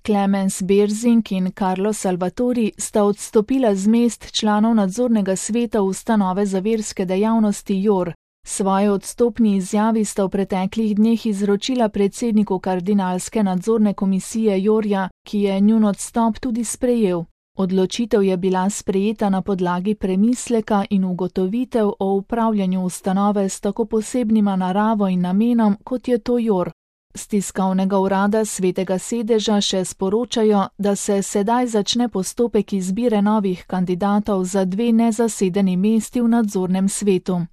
Clemens Berzing in Carlo Salvatori sta odstopila z mest članov nadzornega sveta ustanove za verske dejavnosti JOR. Svoje odstopni izjavi sta v preteklih dneh izročila predsedniku kardinalske nadzorne komisije JOR-ja, ki je njun odstop tudi sprejel. Odločitev je bila sprejeta na podlagi premisleka in ugotovitev o upravljanju ustanove s tako posebnima naravo in namenom, kot je to JOR. Z tiskovnega urada Svetega sedeža še sporočajo, da se sedaj začne postopek izbire novih kandidatov za 2 nezasedeni mesti v nadzornem svetu.